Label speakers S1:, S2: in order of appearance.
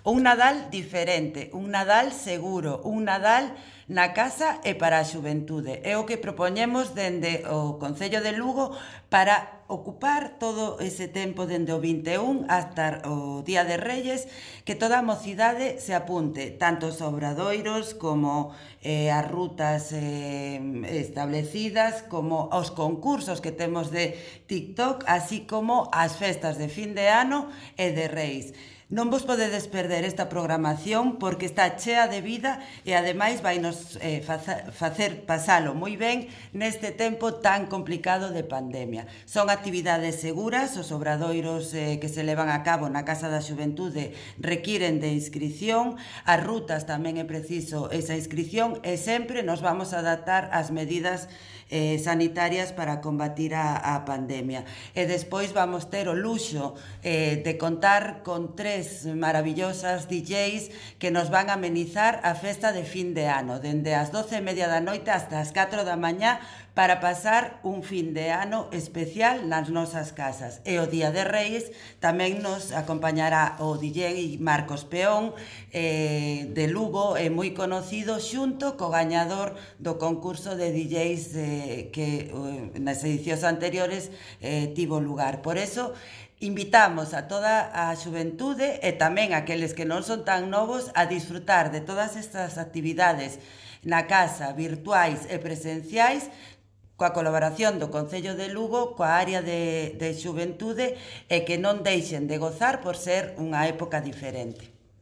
S1: Un Nadal diferente, un Nadal seguro, un Nadal na casa e para a xuventude. É o que propoñemos dende o Concello de Lugo para ocupar todo ese tempo dende o 21 hasta o Día de Reyes, que toda a mocidade se apunte, tanto os obradoiros como as rutas establecidas, como os concursos que temos de TikTok, así como as festas de fin de ano e de Reis. Non vos podedes perder esta programación porque está chea de vida e ademais vai nos facer pasalo moi ben neste tempo tan complicado de pandemia. Son actividades seguras, os obradoiros que se levan a cabo na Casa da Xuventude requiren de inscrición, as rutas tamén é preciso esa inscrición e sempre nos vamos a adaptar ás medidas sanitarias para combatir a pandemia. E despois vamos ter o luxo de contar con tres maravillosas DJs que nos van a amenizar a festa de fin de ano, dende as 12:30 da noite hasta as 4 da mañá, para pasar un fin de ano especial nas nosas casas. E o Día de Reis tamén nos acompañará o DJ Marcos Peón de Lugo, moi conocido, xunto co gañador do concurso de DJs que nas edicións anteriores tivo lugar. Por eso, invitamos a toda a xuventude e tamén aqueles que non son tan novos a disfrutar de todas estas actividades na casa, virtuais e presenciais, coa colaboración do Concello de Lugo, coa área de xuventude, e que non deixen de gozar por ser unha época diferente.